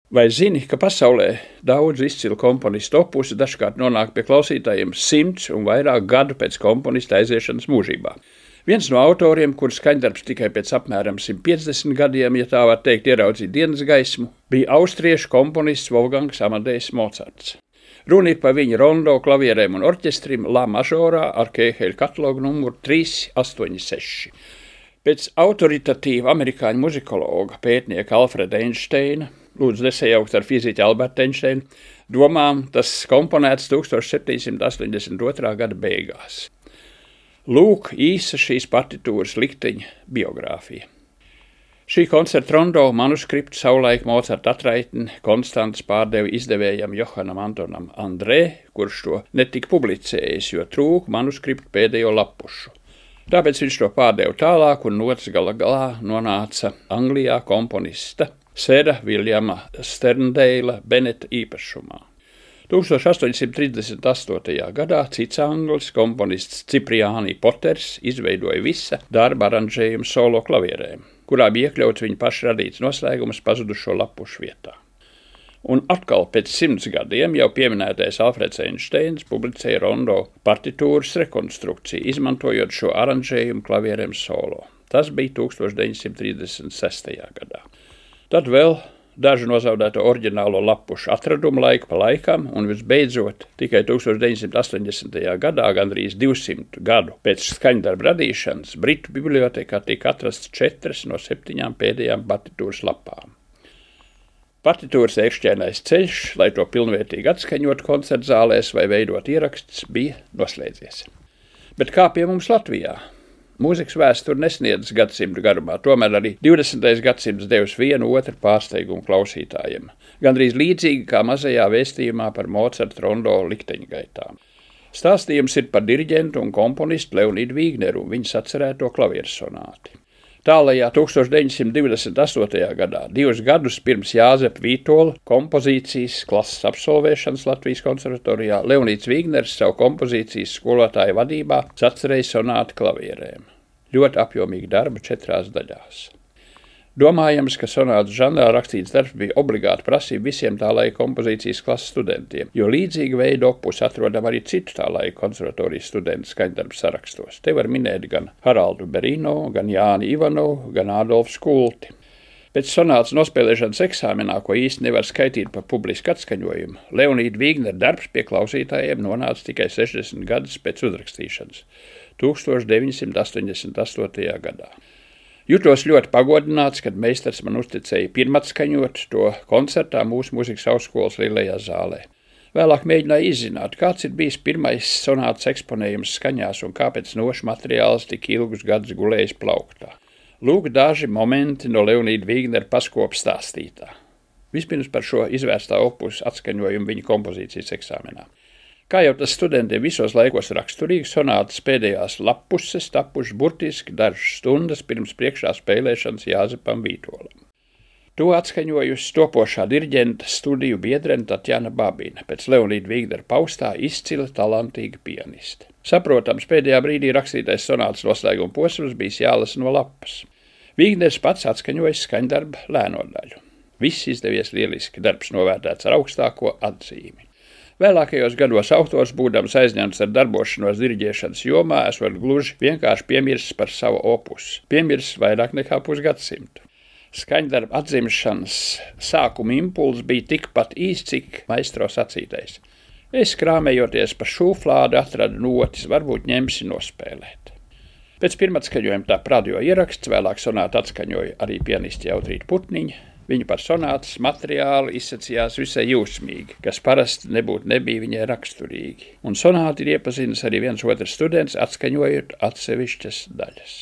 Vai zini, ka pasaulē daudz izcilu komponistu opusi dažkārt nonāk pie klausītājiem 100 un vairāk gadu pēc komponista aiziešanas mūžībā? Viens no autoriem, kura skaņdarbs tikai pēc apmēram 150 gadiem, ja tā var teikt, ieraudzīja dienas gaismu, bija austriešu komponists Wolfgangs Amadejs Mocarts. Runa ir par viņa rondo klavierēm un orķestrim La mažorā ar Kēheļa katalogu numuru 386. Pēc autoritatīva amerikāņu muzikologa pētnieka Alfreda Einsteina, lūdzu nesajaukt ar fiziķu Albertu Einsteinu, domām tas komponēts 1782. gada beigās. Lūk, īsa šīs partitūras likteņa biogrāfija. Šī koncerta rondo manuskriptu savulaik Mocarta atraitni Konstants pārdeva izdevējam Johanam Antonam Andrē, kurš to netika publicējis, jo trūka manuskriptu pēdējo lapušu. Tāpēc viņš to pārdeva tālāk un nots galā nonāca Anglijā komponista Sera Viljama Sterndeila Beneta īpašumā. 1838. gadā cits anglis, komponists Cipriāni Poters, izveidoja visa darba aranžējumu solo klavierēm, kurā bija iekļauts viņa paša radīts noslēgums pazudušo lapušu vietā. Un atkal pēc 100 gadiem jau pieminētais Alfreds Einsteins publicēja rondo partitūras rekonstrukciju, izmantojot šo aranžējumu klavierēm solo. Tas bija 1936. gadā. Tad vēl dažu nozaudēto oriģinālo lapušu atradumu laiku pa laikam, un visbeidzot tikai 1980. gadā, gandrīz 200 gadu pēc skaņdarba radīšanas, Britu bibliotekā tika atrasts 4 no 7 pēdējām partitūras lapām. Partitūras ērkšķainais ceļš, lai to pilnvērtīgi atskaņot koncertzālēs vai veidot ierakstus, bija noslēdzies. Bet kā pie mums Latvijā? Mūzikas vēsture nesniedz gadsimtu garumā, tomēr arī 20. gadsimts devis vienu otru pārsteigumu klausītājiem, gandrīz līdzīgi kā mazajā vēstījumā par Mocarta rondo likteņgaitām. Stāstījums ir par diriģentu un komponistu Leonīdu Vīgneru un viņa sacerēto klavieru sonāti. Tālajā 1928. gadā, 2 gadus pirms Jāzepa Vītola kompozīcijas klases absolvēšanas Latvijas konservatorijā, Leonīds Vīgners savu kompozīcijas skolotāju vadībā sacerēja sonāti klavierēm. Ļoti apjomīgi darba 4 daļās. Domājams, ka sonātu žanrā rakstīts darbs bija obligāti prasība visiem tā laika kompozīcijas klases studentiem, jo līdzīga veida opus atrodam arī citu tā laika konservatorijas studentu skaņdarbu sarakstos. Te var minēt gan Haraldu Berino, gan Jāni Ivanovu, gan Ādolfu Skulti. Pēc sonātas nospēlēšanas eksāmenā, ko īsti nevar skaitīt par publisku atskaņojumu, Leonīda Vīgnera darbs pie klausītājiem nonāca tikai 60 gadus pēc uzrakstīšanas, 1988. gadā. Jutos ļoti pagodināts, kad meistars man uzticēja pirmatskaņot to koncertā mūsu mūzikas augstskolas lielajā zālē. Vēlāk mēģināju izzināt, kāds ir bijis pirmais sonātas eksponējums skaņās un kāpēc nošu materiāls tik ilgus gadus gulējis plauktā. Lūk daži momenti no Leonīda Vīgnera paskopa stāstītā. Vispirms par šo izvērstā opusu atskaņojumu viņa kompozīcijas eksāmenā. Kā jau tas studentiem visos laikos raksturīgi, sonātas pēdējās lapuses tapušas burtiski dažas stundas pirms priekšā spēlēšanas Jāzepam Vītolam. To atskaņojusi topošā diriģenta studiju biedrene Tatjana Babina, pēc Leonīda Vīgnera paustā izcila talantīga pianiste. Saprotams, pēdējā brīdī rakstītais sonātas noslēguma posms bijis jālasa no lapas. Vīgners pats atskaņojis skaņdarba lēno daļu. Viss izdevies lieliski, darbs novērtēts ar augstāko atzīmi. Vēlākajos gados autors, būdams aizņemts ar darbošanos diriģēšanas jomā, esot gluži vienkārši piemirsis par savu opusu, piemirsis vairāk nekā pusgadsimtu. Skaņdarba atzimšanas sākuma impulss bija tikpat īs, cik maistro sacītais. Es krāmējoties pa šūflādu atradu notis, varbūt ņemsi nospēlēt. Pēc pirmatskaņojuma tā radio ieraksts, vēlāk sonāta atskaņoja arī pianisti Jautrīta Putniņa. Viņa par sonātas materiālu izsacījās visai jūsmīgi, kas parasti nebija viņai raksturīgi. Un sonāti ir iepazinis arī viens otrs students, atskaņojot atsevišķas daļas.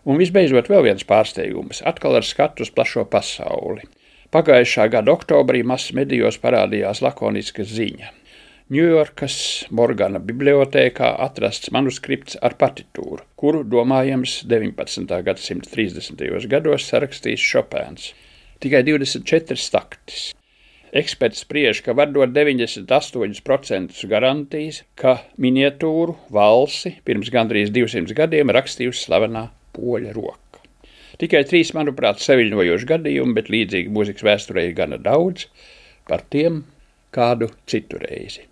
Un visbeidzot vēl viens pārsteigums, atkal ar skatu uz plašo pasauli. Pagājušā gada oktobrī masmedijos parādījās lakoniska ziņa. Ņujorkas Morgana bibliotēkā atrasts manuskripts ar partitūru, kuru, domājams, 19. gadsimta 30. gados sarakstījis Šopēns. Tikai 24 taktis. Eksperts spriež, ka var dot 98% garantijas, ka miniatūru valsi pirms gandrīz 200 gadiem rakstījusi slavenā poļa roka. Tikai 3, manuprāt, saviļņojoši gadījumi, bet līdzīgi mūzikas vēsturē ir gana daudz, par tiem kādu citu reizi.